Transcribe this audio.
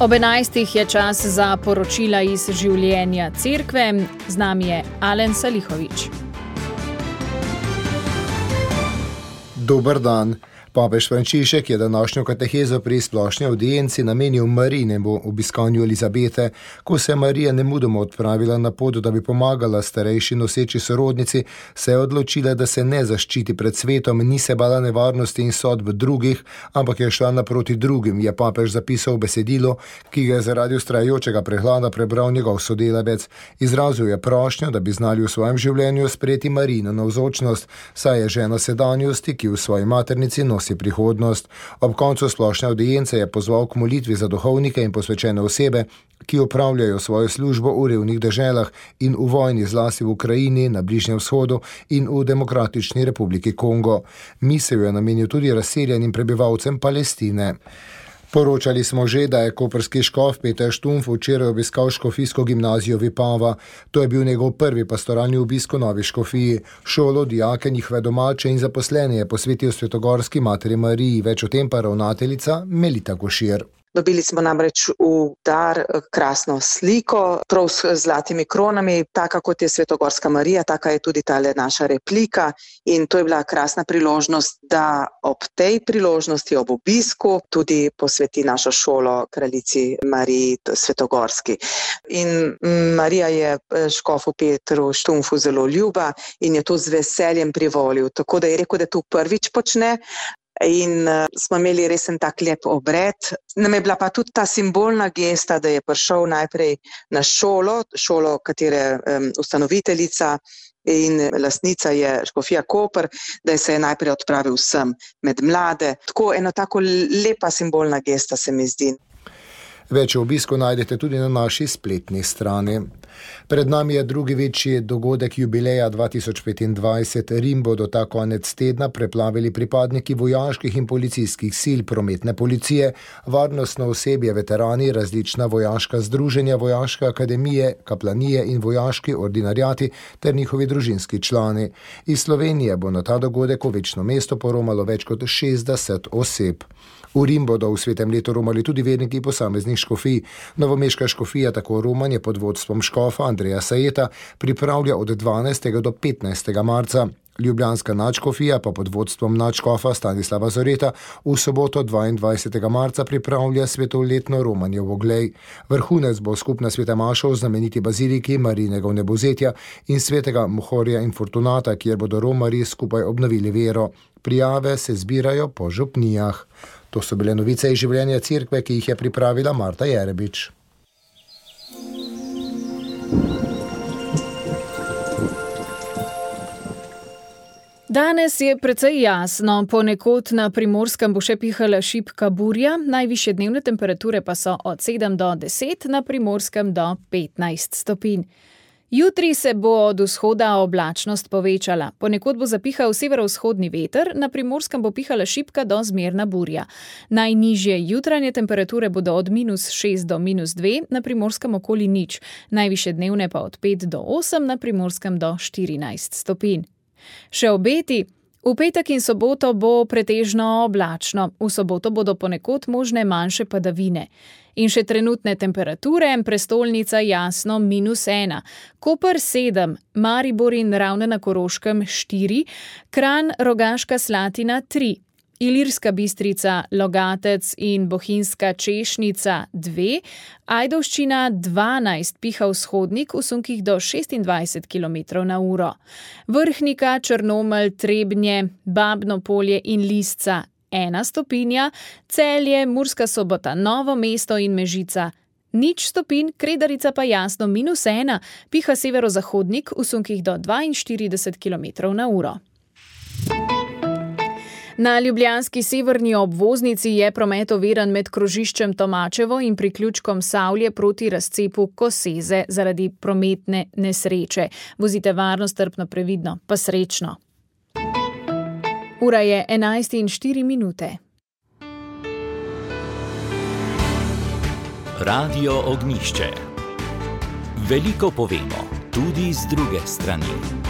Ob 11. je čas za poročila iz življenja cerkve. Z nami je Alen Salihovič. Dober dan. Papež Frančišek je današnjo katehezo pri splošni avdienci namenil Marijinemu obiskanju Elizabete, ko se je Marija nemudoma odpravila na pot, da bi pomagala starejši noseči sorodnici, se je odločila, da se ne zaščiti pred svetom, ni se bala nevarnosti in sodb drugih, ampak je šla naproti drugim, je papež zapisal v besedilo, ki ga je zaradi vztrajajočega prehlada prebral njegov sodelavec. Izrazil je prošnjo, da bi znali v svojem življenju sprejeti Marijino navzočnost, saj je žena sedanjosti, ki v svoji maternici nosi prihodnost. Ob koncu splošne avdience je pozval k molitvi za duhovnike in posvečene osebe, ki opravljajo svojo službo v revnih deželah in v vojni, zlasti v Ukrajini, na Bližnjem vzhodu in v Demokratični republiki Kongo. Misel je namenil tudi razseljenim prebivalcem Palestine. Poročali smo že, da je koprski škof Peter Štumpf včeraj obiskal škofijsko gimnazijo Vipava. To je bil njegov prvi pastoralni obisk v novi škofiji. Šolo, dijake, njihove domače in zaposlene je posvetil Svetogorski materi Mariji. Več o tem pa ravnateljica Melita Košir. Dobili smo namreč v dar krasno sliko, prav s zlatimi kronami, taka kot je Svetogorska Marija, taka je tudi tale naša replika in to je bila krasna priložnost, da ob tej priložnosti, ob obisku, tudi posveti našo šolo kraljici Mariji Svetogorski. In Marija je škofu Petru Štumpfu zelo ljuba in je to z veseljem privolil, tako da je rekel, da to prvič počne. In smo imeli resen tak lep obred. Nam je bila pa tudi ta simbolna gesta, da je prišel najprej na šolo, katere ustanoviteljica in lastnica je škofija Koper, da se je najprej odpravil sem med mlade. Tako eno tako lepa simbolna gesta se mi zdi. Več o obisku najdete tudi na naši spletni strani. Pred nami je drugi večji dogodek jubileja 2025. Rim bodo ta konec tedna preplavili pripadniki vojaških in policijskih sil, prometne policije, varnostno osebje, veterani, različna vojaška združenja, vojaške akademije, kaplanije in vojaški ordinarjati ter njihovi družinski člani. Iz Slovenije bo na ta dogodek v večno mesto poromalo več kot 60 oseb. V Rim bodo v svetem letu romali tudi verniki posameznih škofij. Novomeška škofija, tako romanje pod vodstvom škofa Andreja Sajeta, pripravlja od 12. do 15. marca. Ljubljanska nadškofija pa pod vodstvom nadškofa Stanislava Zoreta v soboto 22. marca pripravlja svetoletno romanje v Oglej. Vrhunec bo skupna sveta maša v znameniti baziliki Marijinega vnebovzetja in svetega Mohorja in Fortunata, kjer bodo romarji skupaj obnovili vero. Prijave se zbirajo po župnijah. To so bile novice iz življenja cerkve, ki jih je pripravila Marta Jerebič. Danes je precej jasno, ponekod na Primorskem bo še pihala šibka burja, najvišje dnevne temperature pa so od 7 do 10, na Primorskem do 15 stopinj. Jutri se bo od vzhoda oblačnost povečala. Ponekod bo zapihal severovzhodni veter, na Primorskem bo pihala šibka do zmerna burja. Najnižje jutranje temperature bodo od -6 do -2, na Primorskem okoli nič. Najvišje dnevne pa od 5 do 8, na Primorskem do 14 stopinj. Še obeti. V petek in soboto bo pretežno oblačno. V soboto bodo ponekod možne manjše padavine. In še trenutne temperature, prestolnica jasno -1, Koper 7, Maribor in Ravne na Koroškem 4, Kranj, Rogaška Slatina 3, Ilirska Bistrica, Logatec in Bohinjska Češnica 2, Ajdovščina 12, piha vzhodnik v sunkih do 26 km/h. Vrhnika, Črnomelj, Trebnje, Babno Polje in Lisca 1 stopinja, Celje, Murska Sobota, Novo mesto in Mežica 0 stopinj, Kredarica pa jasno -1, piha severozahodnik v sunkih do 42 km/h. Na ljubljanski severni obvoznici je promet oviran med krožiščem Tomačevo in priključkom Savlje proti razcepu Koseze zaradi prometne nesreče. Vozite varno, strpno, previdno, pa srečno. Ura je 11:04. Radio Ognjišče. Veliko povemo, tudi z druge strani.